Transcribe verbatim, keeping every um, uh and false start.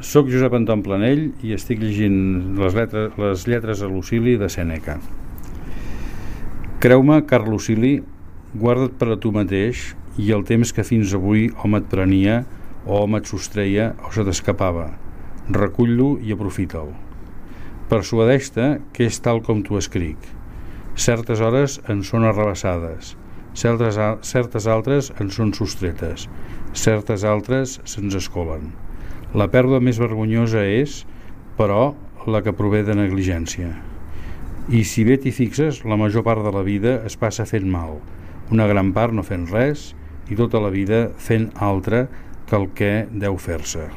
Soc Josep Anton Planell i estic llegint les lletres, les lletres a Lucili de Sèneca. Creu-me, car Lucili, guarda't per a tu mateix i el temps que fins avui hom et prenia o hom et sostreia o se t'escapava. Recull-lo i aprofita'l. Persuadeix-te que és tal com t'ho escric. Certes hores en són arrabassades, certes, certes altres en són sostretes, certes altres se'ns escolen. La pèrdua més vergonyosa és, però, la que prové de negligència. I si bé t'hi fixes, la major part de la vida es passa fent mal, una gran part no fent res i tota la vida fent altre que el que deu fer-se.